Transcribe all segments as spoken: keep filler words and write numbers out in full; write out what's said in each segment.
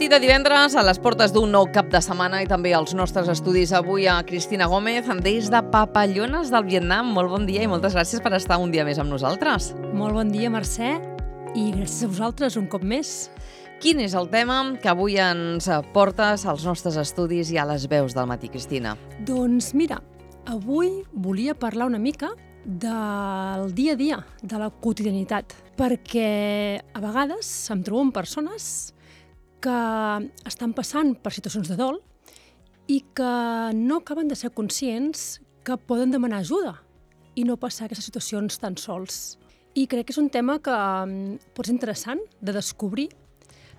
matí de divendres, a les portes d'un nou cap de setmana i també als nostres estudis avui a Cristina Gómez, des de Papallones del Vietnam. Molt bon dia i moltes gràcies per estar un dia més amb nosaltres. Molt bon dia, Mercè, i gràcies a vosaltres un cop més. Quin és el tema que avui ens portes als nostres estudis i a les veus del matí, Cristina? Doncs mira, avui volia parlar una mica del dia a dia, de la quotidianitat, perquè a vegades em trobo amb persones que estan passant per situacions de dol i que no acaben de ser conscients que poden demanar ajuda i no passar aquestes situacions tan sols. I crec que és un tema que pot ser interessant de descobrir.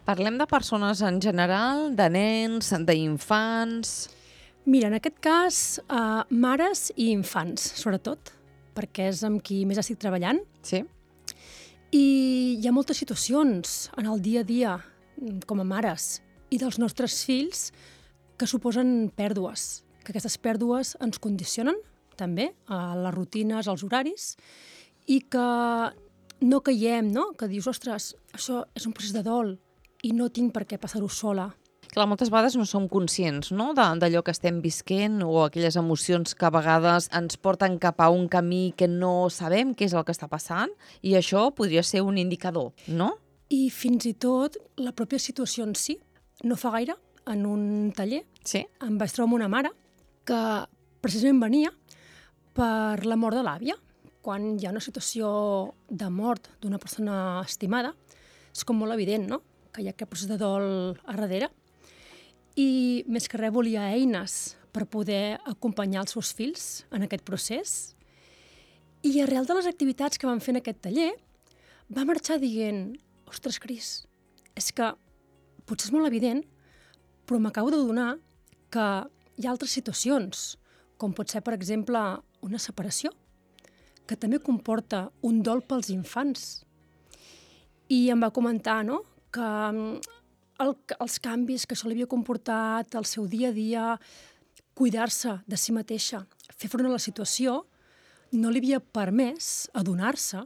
Parlem de persones en general, de nens, d'infants... Mira, en aquest cas, eh, mares i infants, sobretot, perquè és amb qui més estic treballant. Sí. I hi ha moltes situacions en el dia a dia, com a mares, i dels nostres fills, que suposen pèrdues, que aquestes pèrdues ens condicionen, també, a les rutines, als horaris, i que no caiem, no? Que dius, ostres, això és un procés de dol i no tinc per què passar-ho sola. Clar, moltes vegades no som conscients, no?, d'allò que estem visquent o aquelles emocions que a vegades ens porten cap a un camí que no sabem què és el que està passant i això podria ser un indicador, no? I fins i tot la pròpia situació en si. No fa gaire, en un taller, sí? em vaig trobar amb una mare que precisament venia per la mort de l'àvia. Quan hi ha una situació de mort d'una persona estimada, és com molt evident, no?, que hi ha aquest procés de dol a darrere. I més que res volia eines per poder acompanyar els seus fills en aquest procés. I arrel de les activitats que van fer en aquest taller, va marxar dient, ostres, Cris, és que potser és molt evident, però m'acabo d'adonar que hi ha altres situacions, com pot ser, per exemple, una separació, que també comporta un dol pels infants. I em va comentar, no?, que el, els canvis que això li havia comportat, el seu dia a dia, cuidar-se de si mateixa, fer front a la situació, no li havia permès adonar-se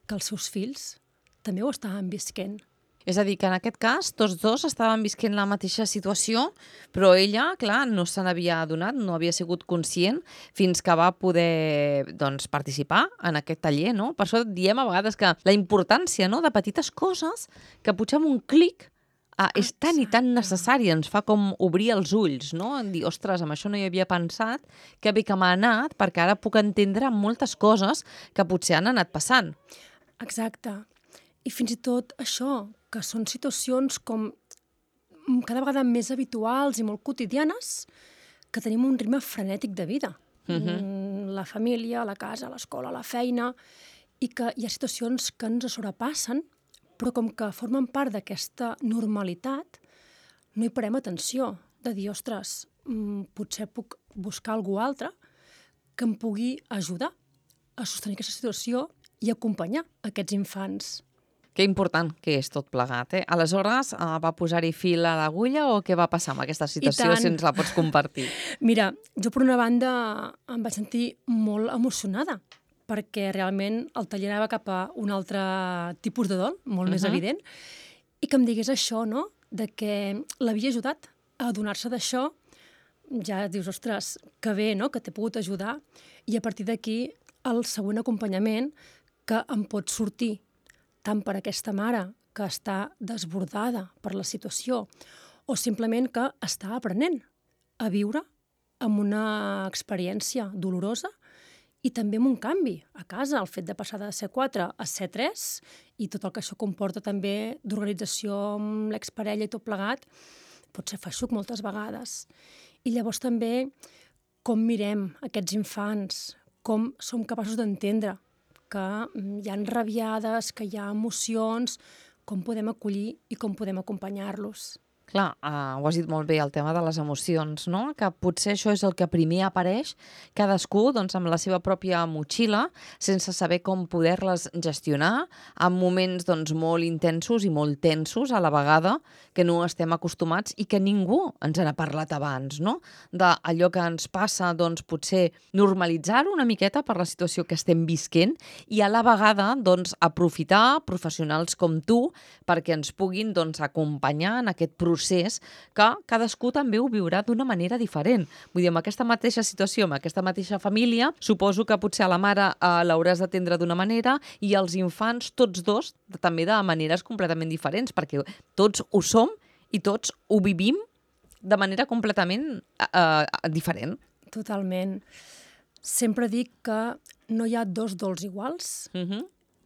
que els seus fills també ho estaven visquent. És a dir, que en aquest cas tots dos estaven visquent la mateixa situació, però ella, clar, no se n'havia adonat, no havia sigut conscient fins que va poder, doncs, participar en aquest taller, no? Per això diem a vegades que la importància, no?, de petites coses que potser amb un clic ah, és tan i tan necessari, ens fa com obrir els ulls, no? En dir, ostres, amb això no hi havia pensat, que bé que m'ha anat, perquè ara puc entendre moltes coses que potser han anat passant. Exacte. I fins i tot això, que són situacions com cada vegada més habituals i molt quotidianes, que tenim un ritme frenètic de vida. Uh-huh. La família, la casa, l'escola, la feina, i que hi ha situacions que ens sobrepassen, però com que formen part d'aquesta normalitat, no hi parem atenció, de dir, ostres, potser puc buscar algú altre que em pugui ajudar a sostenir aquesta situació i acompanyar aquests infants. Que important que és tot plegat, eh? Aleshores, eh, va posar-hi fil a l'agulla o què va passar amb aquesta situació, si ens la pots compartir? Mira, jo per una banda em vaig sentir molt emocionada, perquè realment el taller anava cap a un altre tipus de dol, molt uh-huh. més evident, i que em digués això, no?, de que l'havia ajudat a adonar-se d'això, ja dius, ostres, que bé, no?, que t'he pogut ajudar, i a partir d'aquí el següent acompanyament que em pot sortir tant per aquesta mare que està desbordada per la situació o simplement que està aprenent a viure amb una experiència dolorosa i també amb un canvi a casa, el fet de passar de C quatre a C tres i tot el que això comporta també d'organització amb l'exparella i tot plegat, pot ser feixuc moltes vegades. I llavors també com mirem aquests infants, com som capaços d'entendre que hi ha rabiades, que hi ha emocions, com podem acollir i com podem acompanyar-los. Clar, uh, ho has dit molt bé, el tema de les emocions, no? Que potser això és el que primer apareix, cadascú doncs, amb la seva pròpia motxilla, sense saber com poder-les gestionar, en moments doncs, molt intensos i molt tensos a la vegada, que no estem acostumats i que ningú ens n'ha parlat abans, no? D'allò que ens passa, doncs, potser normalitzar-ho una miqueta per la situació que estem visquent i a la vegada doncs, aprofitar professionals com tu perquè ens puguin doncs, acompanyar en aquest procés procés que cadascú també ho viurà d'una manera diferent. Vull dir, amb aquesta mateixa situació, amb aquesta mateixa família, suposo que potser a la mare eh, l'hauràs d'atendre d'una manera i als infants, tots dos, també de maneres completament diferents, perquè tots ho som i tots ho vivim de manera completament eh, eh, diferent. Totalment. Sempre dic que no hi ha dos dols iguals Uh-huh.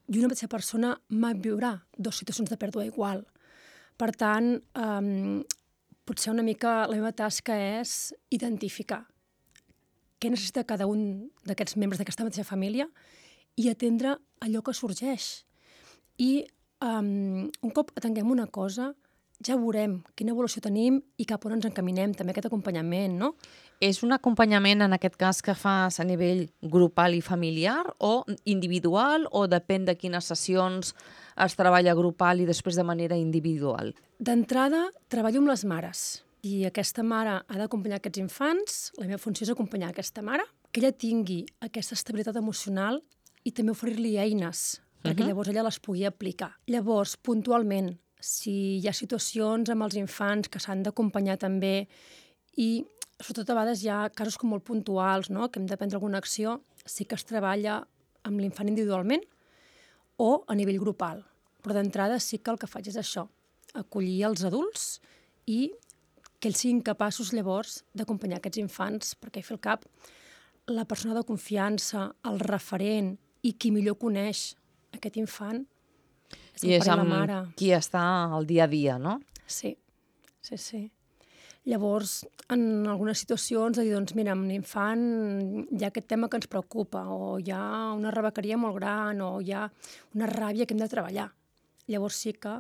i una mateixa persona mai viurà dues situacions de pèrdua igual. Per tant, um, potser una mica la meva tasca és identificar què necessita cada un d'aquests membres d'aquesta mateixa família i atendre allò que sorgeix. I um, un cop atenguem una cosa, ja veurem quina evolució tenim i cap on ens encaminem, també aquest acompanyament, no? És un acompanyament, en aquest cas, que fas a nivell grupal i familiar o individual o depèn de quines sessions es treballa grupal i després de manera individual? D'entrada, treballo amb les mares i aquesta mare ha d'acompanyar aquests infants. La meva funció és acompanyar aquesta mare, que ella tingui aquesta estabilitat emocional i també oferir-li eines perquè Uh-huh. llavors ella les pugui aplicar. Llavors, puntualment, si hi ha situacions amb els infants que s'han d'acompanyar també i sobretot a vegades hi ha casos com molt puntuals, no?, que hem de prendre alguna acció, sí que es treballa amb l'infant individualment o a nivell grupal. Però d'entrada sí que el que faig és això, acollir els adults i que ells siguin capaços llavors d'acompanyar aquests infants, perquè al cap la persona de confiança, el referent i qui millor coneix aquest infant és el I és pare i la amb mare. qui està al dia a dia, no? Sí, sí, sí. Llavors, en algunes situacions, de dir, doncs, mira, amb l'infant hi ha aquest tema que ens preocupa, o hi ha una rebequeria molt gran, o hi ha una ràbia que hem de treballar. Llavors sí que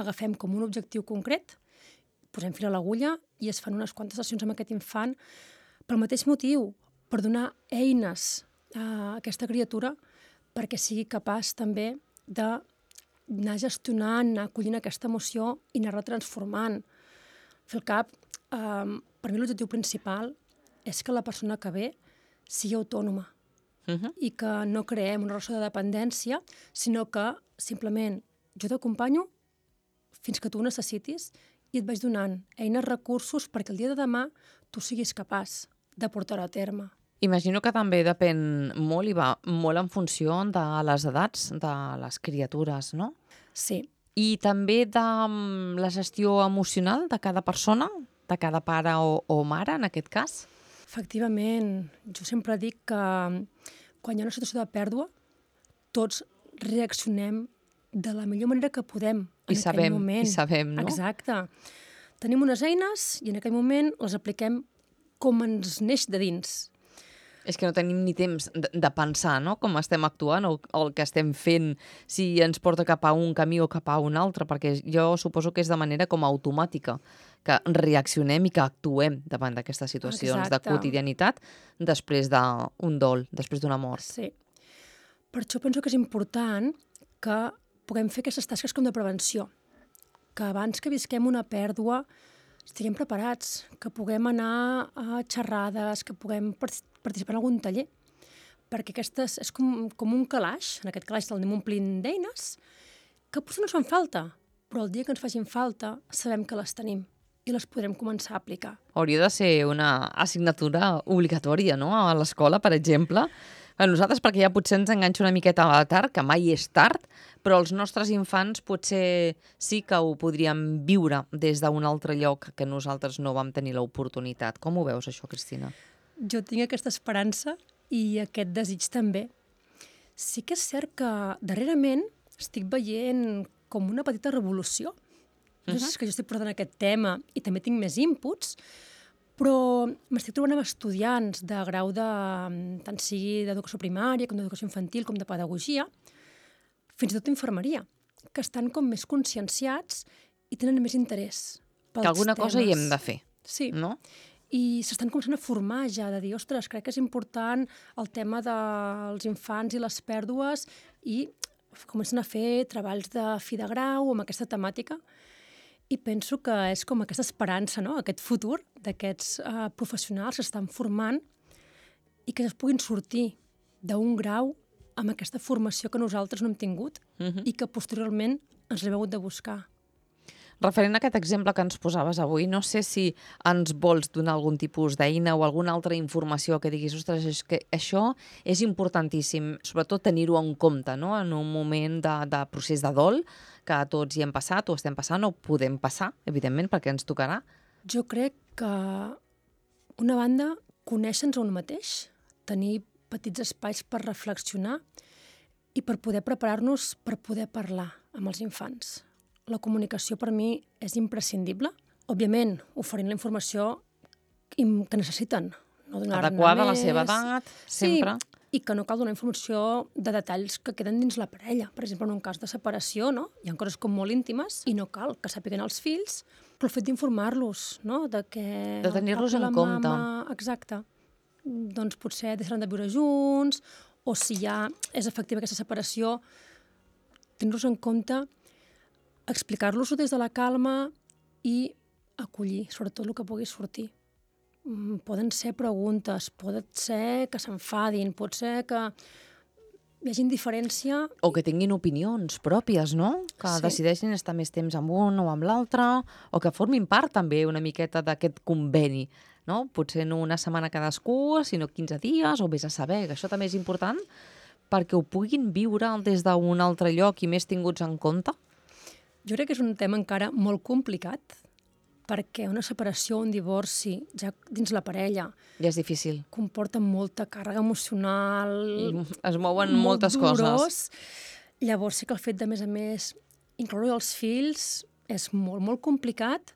agafem com un objectiu concret, posem fil a l'agulla i es fan unes quantes sessions amb aquest infant pel mateix motiu, per donar eines a aquesta criatura perquè sigui capaç també d'anar gestionant, anar acollint aquesta emoció i anar-la transformant. Fer el cap, Um, per mi l'objectiu principal és que la persona que ve sigui autònoma Uh-huh. i que no creem una relació de dependència, sinó que simplement jo t'acompanyo fins que tu ho necessitis i et vaig donant eines, recursos perquè el dia de demà tu siguis capaç de portar-ho a terme. Imagino que també depèn molt i va molt en funció de les edats de les criatures, no? Sí, I també de mm, la gestió emocional de cada persona, de cada pare o, o mare, en aquest cas? efectivament. Jo sempre dic que quan hi ha una situació de pèrdua, tots reaccionem de la millor manera que podem en I sabem, aquell moment. i sabem, no? Exacte. Tenim unes eines i en aquell moment les apliquem com ens neix de dins. És que no tenim ni temps de, de pensar, no?, com estem actuant o, o el que estem fent, si ens porta cap a un camí o cap a un altre, perquè jo suposo que és de manera com automàtica, que reaccionem i que actuem davant d'aquestes situacions Exacte. de quotidianitat després d'un dol, després d'una mort. Sí. Per això penso que és important que puguem fer aquestes tasques com de prevenció, que abans que visquem una pèrdua estiguem preparats, que puguem anar a xerrades, que puguem participar en algun taller, perquè aquestes és com, com un calaix, en aquest calaix el anem omplint d'eines, que potser no ens fan falta, però el dia que ens facin falta sabem que les tenim i les podrem començar a aplicar. Hauria de ser una assignatura obligatòria, no?, a l'escola, per exemple. A nosaltres, perquè ja potser ens enganxa una miqueta a tard, que mai és tard, però els nostres infants potser sí que ho podríem viure des d'un altre lloc que nosaltres no vam tenir l'oportunitat. Com ho veus, això, Cristina? Jo tinc aquesta esperança i aquest desig també. Sí que és cert que darrerament estic veient com una petita revolució. No sé si és que jo estic portant aquest tema i també tinc més inputs, però m'estic trobant amb estudiants de grau de, tant sigui d'educació primària com d'educació infantil com de pedagogia, fins i tot d'infermeria, que estan com més conscienciats i tenen més interès pels que alguna temes. cosa hi hem de fer, Sí. no? I s'estan començant a formar ja, de dir, ostres, crec que és important el tema dels infants i les pèrdues, i comencen a fer treballs de fi de grau amb aquesta temàtica, i penso que és com aquesta esperança, no? Aquest futur d'aquests uh, professionals que s'estan formant i que es puguin sortir d'un grau amb aquesta formació que nosaltres no hem tingut Uh-huh. i que posteriorment ens l'hem hagut de buscar. Referent a aquest exemple que ens posaves avui, no sé si ens vols donar algun tipus d'eina o alguna altra informació que diguis, ostres, és que això és importantíssim, sobretot tenir-ho en compte, no? En un moment de, de procés de dol, que tots hi hem passat o estem passant o podem passar, evidentment, perquè ens tocarà. Jo crec que, una banda, conèixer-nos a un mateix, tenir petits espais per reflexionar i per poder preparar-nos per poder parlar amb els infants. La comunicació per mi és imprescindible. Òbviament, oferint la informació im- que necessiten. No donar-ne Adequada a la més. seva edat, sempre. Sí, i que no cal donar informació de detalls que queden dins la parella. Per exemple, en un cas de separació, no? Hi ha coses com molt íntimes i no cal que sàpiguen els fills, però el fet d'informar-los, no? De que De tenir-los el papa i en la compte. mama, exacte, doncs potser deixaran de viure junts, o si ja és efectiva aquesta separació, tenir-los en compte, explicar-los-ho des de la calma i acollir, sobretot el que pugui sortir. Mm, Poden ser preguntes, pot ser que s'enfadin, pot ser que hi hagi indiferència. O que tinguin opinions pròpies, no? Que Sí. decideixin estar més temps amb un o amb l'altre, o que formin part també una miqueta d'aquest conveni, no? Potser no una setmana cadascú, sinó quinze dies, o vés a saber, que això també és important, perquè ho puguin viure des d'un altre lloc i més tinguts en compte. Jo crec que és un tema encara molt complicat, perquè una separació o un divorci, ja dins la parella, Ja és difícil. comporta molta càrrega emocional, Es mouen molt moltes dolorós. coses. Llavors sí que el fet de, a més a més, incloure els fills és molt, molt complicat,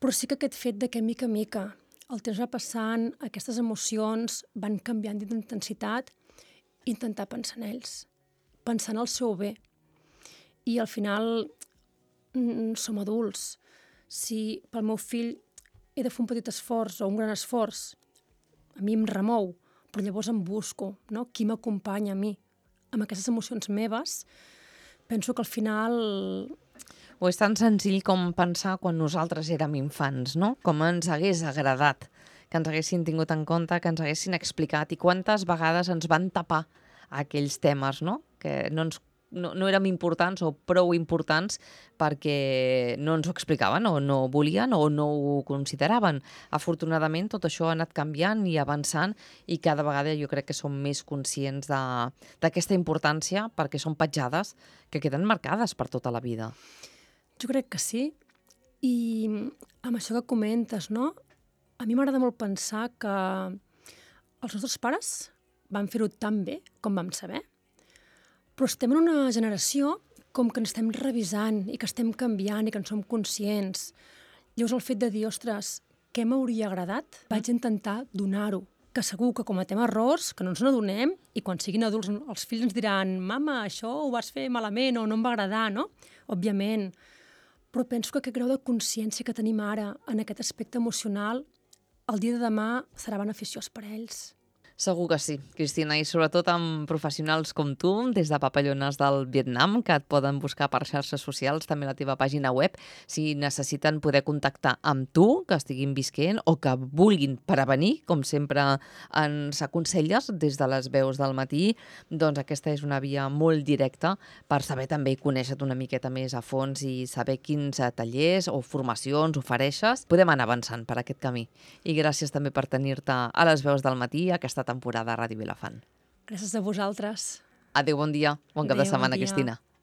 però sí que aquest fet de que, mica a mica, el temps va passant, aquestes emocions van canviant d'intensitat, intentar pensar en ells, pensar en el seu bé. I al final mm, som adults. Si pel meu fill he de fer un petit esforç o un gran esforç, a mi em remou, però llavors em busco, no? Qui m'acompanya a mi amb aquestes emocions meves. Penso que al final... O és tan senzill com pensar quan nosaltres érem infants, no? Com ens hagués agradat que ens haguessin tingut en compte, que ens haguessin explicat i quantes vegades ens van tapar aquells temes, no? Que no, ens, no, no érem importants o prou importants perquè no ens ho explicaven o no volien o no ho consideraven. Afortunadament tot això ha anat canviant i avançant i cada vegada jo crec que som més conscients de- d'aquesta importància perquè són petjades que queden marcades per tota la vida. Jo crec que sí. I amb això que comentes, no? A mi m'agrada molt pensar que els nostres pares van fer-ho tan bé com vam saber, però estem en una generació com que ens estem revisant i que estem canviant i que en som conscients. Llavors el fet de dir, ostres, què m'hauria agradat? Vaig intentar donar-ho, que segur que cometem errors, que no ens n'adonem, i quan siguin adults els fills ens diran mama, això ho vas fer malament o no em va agradar, no? Òbviament. Però penso que aquest grau de consciència que tenim ara en aquest aspecte emocional, el dia de demà serà beneficiós per a ells. Segur que sí, Cristina, i sobretot amb professionals com tu, des de Papallones del Vietnam, que et poden buscar per xarxes socials, també a la teva pàgina web, si necessiten poder contactar amb tu, que estiguin visquent, o que vulguin prevenir, com sempre ens aconselles des de les veus del matí, doncs aquesta és una via molt directa per saber també conèixer-te una miqueta més a fons i saber quins tallers o formacions ofereixes. Podem anar avançant per aquest camí. I gràcies també per tenir-te a les veus del matí, aquesta temporada a Ràdio Vilafant. Gràcies a vosaltres. Adéu, bon dia. Bon cap de Adéu, bon setmana, dia. Cristina.